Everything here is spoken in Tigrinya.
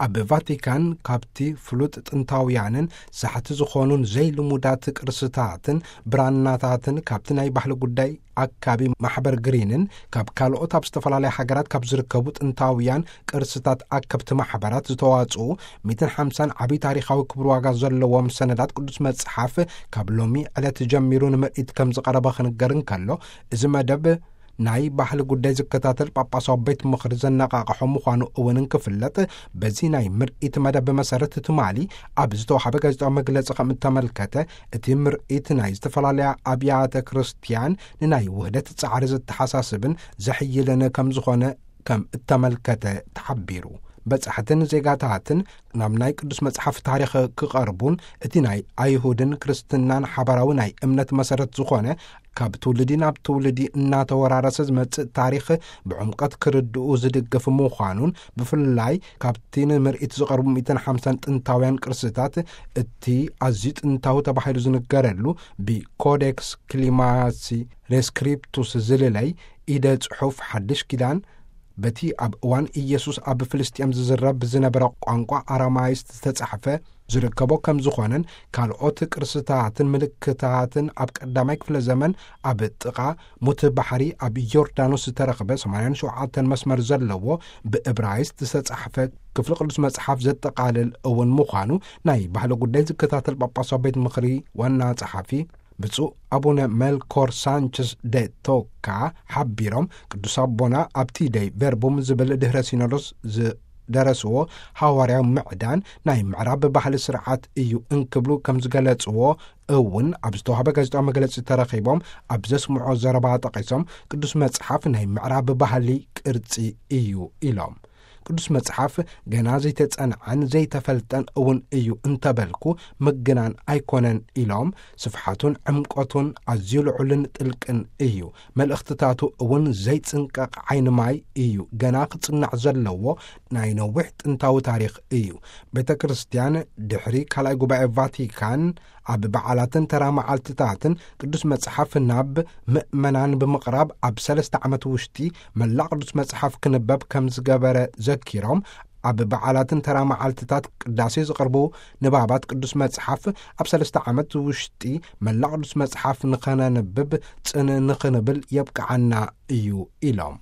ኣብ ቫቲካን ካብቲ ፍሉጥ ጥንታውያንን ሳሕቲ ዝኾኑን ዘይልሙዳት ቅርስታትን ብራናታትን ካብቲ ናይ ባህሊ ጉዳይ ኣካቢ ማሕበር ግሪንን ካብ ካልኦት ኣብ ዝተፈላለያ ሃገራት ካብ ዝርከቡ ጥንታውያን ቅርስታት ኣከብቲ ማሕበራት ዝተዋጽኡ ሚእትን ሓምሳን ዓብዪ ታሪኻዊ ክብሪ ዋጋ ዘለዎም ሰነዳት ቅዱስ መጽሓፍ ካብ ሎሚ ዕለት ጀሚሩ ንምርኢት ከም ዝቐረበ ክንገር እንከሎ፣ እዚ መደብ ናይ ባህሊ ጉዳይ ዝከታተል ጳጳሳዊ ቤት ምኽሪ ዘነቓቕሖ ምዃኑ እውን እንክፍለጥ፣ በዚ ናይ ምርኢት መደብ መሰረት ትማሊ ኣብ ዝተዋሃበ ጋዜጣዊ መግለጺ ከም እተመልከተ፣ እቲ ምርኢት ናይ ዝተፈላለያ ኣብያተ ክርስቲያን ንናይ ውህደት ጻዕሪ ዘተሓሳስብን ዘሕይልን ከም ዝኾነ ከም እተመልከተ ተሓቢሩ። በጻሕትን ዜጋታትን ናብ ናይ ቅዱስ መጽሓፍ ታሪኽ ክቐርቡን እቲ ናይ ኣይሁድን ክርስትናን ሓባራዊ ናይ እምነት መሰረት ዝኾነ ካብ ትውልዲ ናብ ትውልዲ እናተወራረሰ ዝመጽእ ታሪኽ ብዕምቀት ክርድኡ ዝድግፍ ምዃኑን፣ ብፍላይ ካብቲ ንምርኢት ዝቐርቡ ሚእትን ሓምሳን ጥንታውያን ቅርስታት እቲ ኣዝዩ ጥንታዊ ተባሂሉ ዝንገረሉ ብኮዴክስ ክሊማሲ ሬስክሪፕቱስ ዝልለይ ኢደ ጽሑፍ ሓድሽ ኪዳን በቲ ኣብ እዋን ኢየሱስ ኣብ ፍልስጤም ዝዝረብ ብዝነበረ ቋንቋ ኣራማይስጥ ዝተጻሕፈ ዝርከቦ ከም ዝኾነን፣ ካልኦት ቅርስታትን ምልክታትን ኣብ ቀዳማይ ክፍለ ዘመን ኣብ ጥቓ ሙት ባሕሪ ኣብ ዮርዳኖስ ዝተረኽበ ሰማንያን ሸውዓተን መስመር ዘለዎ ብእብራይስጥ ዝተጻሕፈ ክፍሊ ቅዱስ መጽሓፍ ዘጠቓልል እውን ምዃኑ ናይ ባህሊ ጉዳይ ዝከታተል ጳጳሳዊ ቤት ምኽሪ ዋና ጸሓፊ ብፁዕ ኣቡነ ሜልኮር ሳንቸስ ደ ቶካ ሓቢሮም፣ ቅዱስ ኣቦና ኣብቲ ደይ ቨርቡም ዝብል ድህረ ሲኖዶስ ዝደረስዎ ሃዋርያዊ ምዕዳን ናይ ምዕራብ ባህሊ ስርዓት እዩ እንክብሉ ከም ዝገለጽዎ እውን ኣብ ዝተዋህበ ጋዜጣዊ መግለጺ ተረኺቦም ኣብ ዘስምዖ ዘረባ ጠቒሶም፣ ቅዱስ መጽሓፍ ናይ ምዕራብ ባህሊ ቅርጺ እዩ ኢሎም። ቅዱስ መጽሓፍ ገና ዘይተጸንዐን ዘይተፈልጠን እውን እዩ እንተበልኩ ምግናን ኣይኮነን ኢሎም፣ ስፍሓቱን ዕምቆቱን ኣዝዩ ልዑልን ጥልቅን እዩ። መልእኽትታቱ እውን ዘይጽንቀቕ ዓይኒ ማይ እዩ። ገና ክጽናዕ ዘለዎ ናይ ነዊሕ ጥንታዊ ታሪኽ እዩ። ቤተ ክርስቲያን ድሕሪ ካልኣይ ጉባኤ ቫቲካን ኣብ በዓላትን ተራ መዓልትታትን ቅዱስ መጽሓፍ ናብ ምእመናን ብምቕራብ ኣብ ሰለስተ ዓመት ውሽጢ መላእ ቅዱስ መጽሓፍ ክንበብ ከም ዝገበረ ዘኪሮም፣ ኣብ በዓላትን ተራ መዓልትታት ቅዳሴ ዝቐርቡ ንባባት ቅዱስ መጽሓፍ ኣብ ሰለስተ ዓመት ውሽጢ መላእ ቅዱስ መጽሓፍ ንኸነንብብ ጽን ንኽንብል የብቅዓና እዩ ኢሎም።